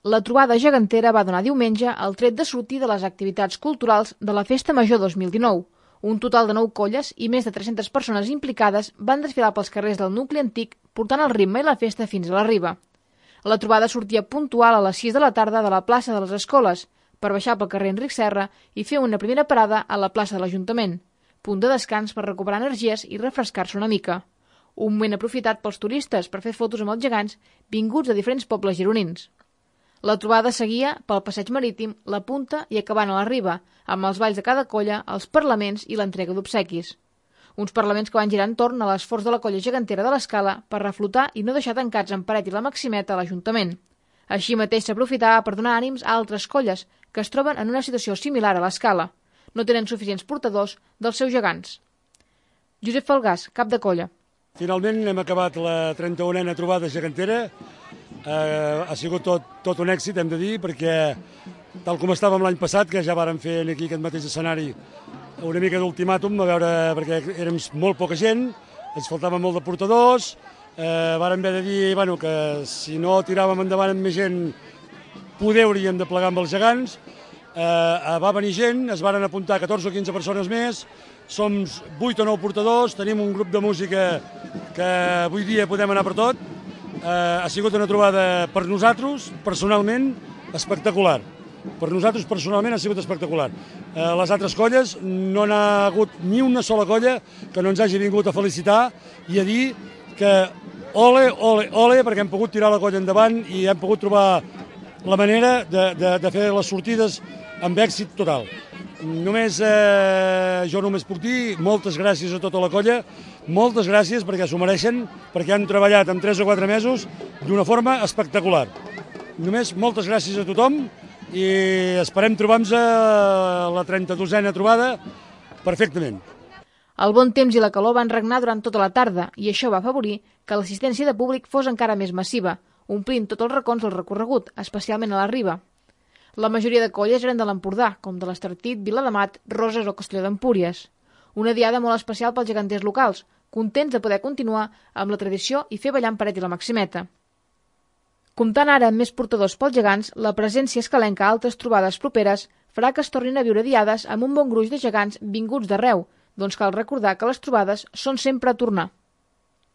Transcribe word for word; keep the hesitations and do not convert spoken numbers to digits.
La trobada gegantera va donar diumenge el tret de sortir de les activitats culturals de la Festa Major dos mil dinou. Un total de nou colles i més de tres-centes persones implicades van desfilar pels carrers del nucli antic portant el ritme i la festa fins a la riba. La trobada sortia puntual a les sis de la tarda de la plaça de les Escoles per baixar pel carrer Enric Serra i fer una primera parada a la plaça de l'Ajuntament, punt de descans per recuperar energies i refrescar-se una mica. Un moment aprofitat pels turistes per fer fotos amb els gegants vinguts de diferents pobles gironins. La trobada seguia pel passeig marítim, la punta i acabant a la riba, amb els balls de cada colla, els parlaments i l'entrega d'obsequis. Uns parlaments que van girar entorn a l'esforç de la colla gegantera de l'Escala per reflotar i no deixar tancats en Paret i la Maximeta a l'Ajuntament. Així mateix s'aprofitava per donar ànims a altres colles que es troben en una situació similar a l'Escala. No tenen suficients portadors dels seus gegants. Josep Falgàs, cap de colla. Finalment hem acabat la trenta-unena trobada gegantera. Eh, ha sigut tot, tot un èxit, hem de dir, perquè tal com estàvem l'any passat, que ja vàrem fer aquí aquest mateix escenari una mica d'ultimàtum, a veure, perquè érem molt poca gent, ens faltaven molt de portadors, eh, vàrem haver de dir bueno, que si no tiràvem endavant amb més gent, poder hauríem de plegar amb els gegants. Eh, va venir gent, es varen apuntar catorze o quinze persones més, som vuit o nou portadors, tenim un grup de música que avui dia podem anar per tot. Eh, ha sigut una trobada per nosaltres, personalment, espectacular. Per nosaltres, personalment, ha sigut espectacular. Eh, les altres colles, no n'ha hagut ni una sola colla que no ens hagi vingut a felicitar i a dir que ole, ole, ole, perquè hem pogut tirar la colla endavant i hem pogut trobar la manera de, de, de fer les sortides amb èxit total. Només, eh, jo només puc dir moltes gràcies a tota la colla, moltes gràcies perquè s'ho mereixen, perquè han treballat en tres o quatre mesos d'una forma espectacular. Només moltes gràcies a tothom i esperem trobar-nos a la trenta-dosena trobada perfectament. El bon temps i la calor van regnar durant tota la tarda i això va afavorir que l'assistència de públic fos encara més massiva, omplint tots els racons del recorregut, especialment a la riba. La majoria de colles eren de l'Empordà, com de l'Estartit, Viladamat, Roses o Castelló d'Empúries. Una diada molt especial pels geganters locals, contents de poder continuar amb la tradició i fer ballar en Paret i la Maximeta. Comptant ara amb més portadors pels gegants, la presència escalenca a altres trobades properes farà que es tornin a viure diades amb un bon gruix de gegants vinguts d'arreu, doncs cal recordar que les trobades són sempre a tornar.